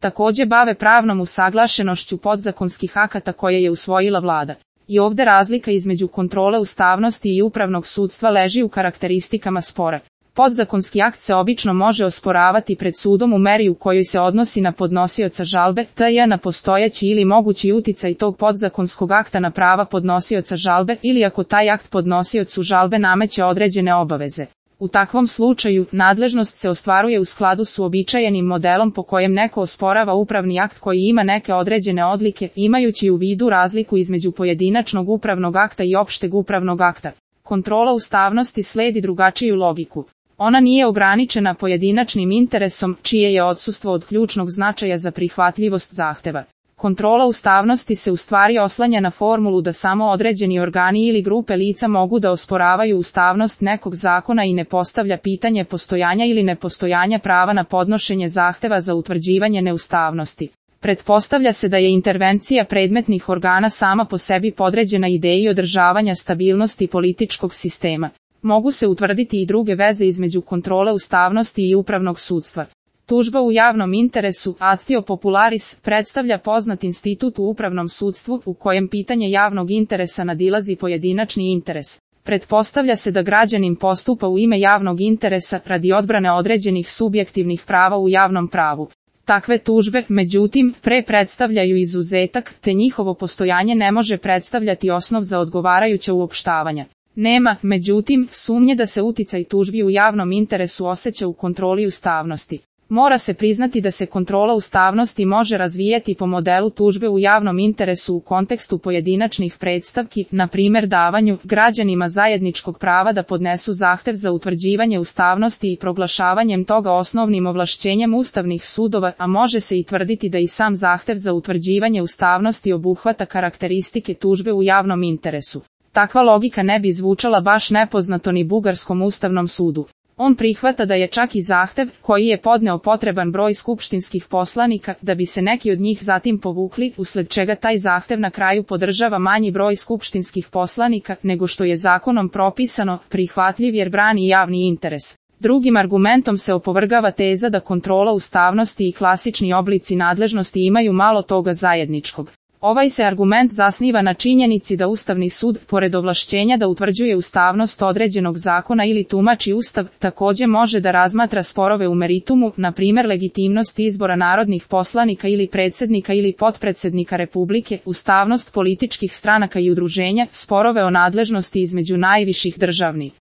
takođe bave pravnom usaglašenošću podzakonskih akata koje je usvojila vlada. I ovde razlika između kontrole ustavnosti i upravnog sudstva leži u karakteristikama spora. Podzakonski akt se obično može osporavati pred sudom u meri u kojoj se odnosi na podnosioca žalbe, tj. na postojeći ili mogući uticaj tog podzakonskog akta na prava podnosioca žalbe ili ako taj akt podnosiocu žalbe nameće određene obaveze. U takvom slučaju, nadležnost se ostvaruje u skladu s uobičajenim modelom po kojem neko osporava upravni akt koji ima neke određene odlike, imajući u vidu razliku između pojedinačnog upravnog akta i opšteg upravnog akta. Kontrola ustavnosti sledi drugačiju logiku. Ona nije ograničena pojedinačnim interesom, čije je odsustvo od ključnog značaja za prihvatljivost zahteva. Kontrola ustavnosti se u stvari oslanja na formulu da samo određeni organi ili grupe lica mogu da osporavaju ustavnost nekog zakona i ne postavlja pitanje postojanja ili nepostojanja prava na podnošenje zahteva za utvrđivanje neustavnosti. Pretpostavlja se da je intervencija predmetnih organa sama po sebi podređena ideji održavanja stabilnosti političkog sistema. Mogu se utvrditi i druge veze između kontrole ustavnosti i upravnog sudstva. Tužba u javnom interesu, actio popularis, predstavlja poznat institut u upravnom sudstvu u kojem pitanje javnog interesa nadilazi pojedinačni interes. Pretpostavlja se da građanin postupa u ime javnog interesa radi odbrane određenih subjektivnih prava u javnom pravu. Takve tužbe, međutim, predstavljaju izuzetak, te njihovo postojanje ne može predstavljati osnov za odgovarajuća uopštavanja. Nema, međutim, sumnje da se uticaj tužbi u javnom interesu osjeća u kontroli ustavnosti. Mora se priznati da se kontrola ustavnosti može razvijati po modelu tužbe u javnom interesu u kontekstu pojedinačnih predstavki, na primjer davanju građanima zajedničkog prava da podnesu zahtev za utvrđivanje ustavnosti i proglašavanjem toga osnovnim ovlašćenjem ustavnih sudova, a može se i tvrditi da i sam zahtev za utvrđivanje ustavnosti obuhvata karakteristike tužbe u javnom interesu. Takva logika ne bi zvučala baš nepoznato ni Bugarskom ustavnom sudu. On prihvata da je čak i zahtev, koji je podneo potreban broj skupštinskih poslanika, da bi se neki od njih zatim povukli, usled čega taj zahtev na kraju podržava manji broj skupštinskih poslanika, nego što je zakonom propisano, prihvatljiv jer brani javni interes. Drugim argumentom se opovrgava teza da kontrola ustavnosti i klasični oblici nadležnosti imaju malo toga zajedničkog. Ovaj se argument zasniva na činjenici da Ustavni sud, pored ovlašćenja da utvrđuje ustavnost određenog zakona ili tumači Ustav, takođe može da razmatra sporove u meritumu, na primjer legitimnost izbora narodnih poslanika ili predsjednika ili potpredsjednika Republike, ustavnost političkih stranaka i udruženja, sporove o nadležnosti između najviših državnih